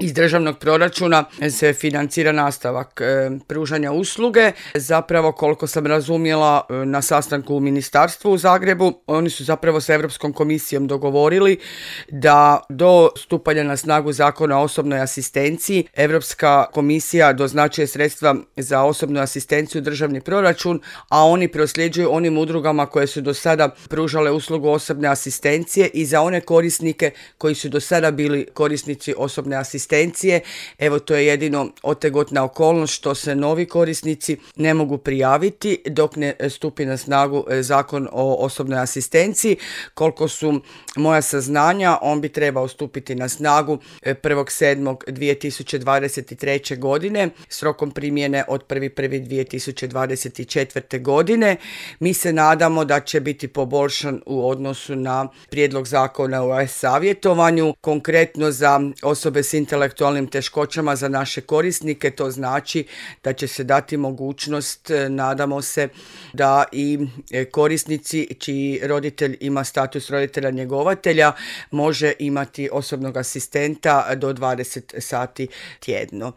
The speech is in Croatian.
iz državnog proračuna se financira nastavak pružanja usluge. Zapravo, koliko sam razumjela na sastanku u ministarstvu u Zagrebu, oni su zapravo sa Europskom komisijom dogovorili da do stupanja na snagu Zakona o osobnoj asistenciji Europska komisija doznačuje sredstva za osobnu asistenciju u državni proračun, a oni prosljeđuju onim udrugama koje su do sada pružale uslugu osobne asistencije i za one korisnike koji su do sada bili korisnici osobne asistencije. Evo, to je jedino otegotna okolnost što se novi korisnici ne mogu prijaviti dok ne stupi na snagu Zakon o osobnoj asistenciji. Koliko su moja saznanja, on bi trebao stupiti na snagu 1.7.2023. godine s rokom primjene od 1.1.2024. godine. Mi se nadamo da će biti poboljšan u odnosu na prijedlog zakona o savjetovanju, konkretno za osobe s intelektualnim teškoćama, za naše korisnike. To znači da će se dati mogućnost, nadamo se, da i korisnici čiji roditelj ima status roditelja njegovatelja može imati osobnog asistenta do 20 sati tjedno.